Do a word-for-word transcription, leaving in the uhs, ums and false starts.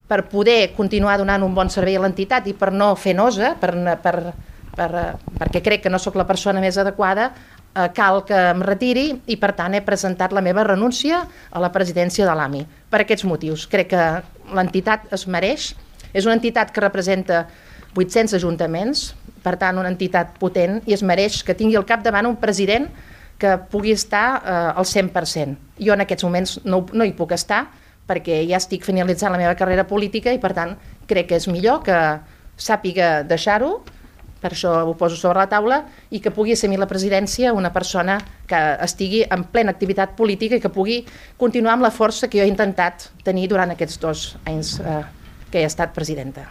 per poder continuar donant un bon servei a l'entitat i per no fer nosa, per, per, per, perquè crec que no sóc la persona més adequada, eh, cal que em retiri i per tant he presentat la meva renúncia a la presidència de l'A M I. Per aquests motius, crec que l'entitat es mereix, és una entitat que representa vuit-cents ajuntaments, per tant una entitat potent, i es mereix que tingui al capdavant un president que pugui estar eh, al cent per cent. Jo en aquests moments no, no hi puc estar perquè ja estic finalitzant la meva carrera política i per tant crec que és millor que sàpiga deixar-ho, per això ho poso sobre la taula, i que pugui assumir la presidència una persona que estigui en plena activitat política i que pugui continuar amb la força que jo he intentat tenir durant aquests dos anys eh, que he estat presidenta.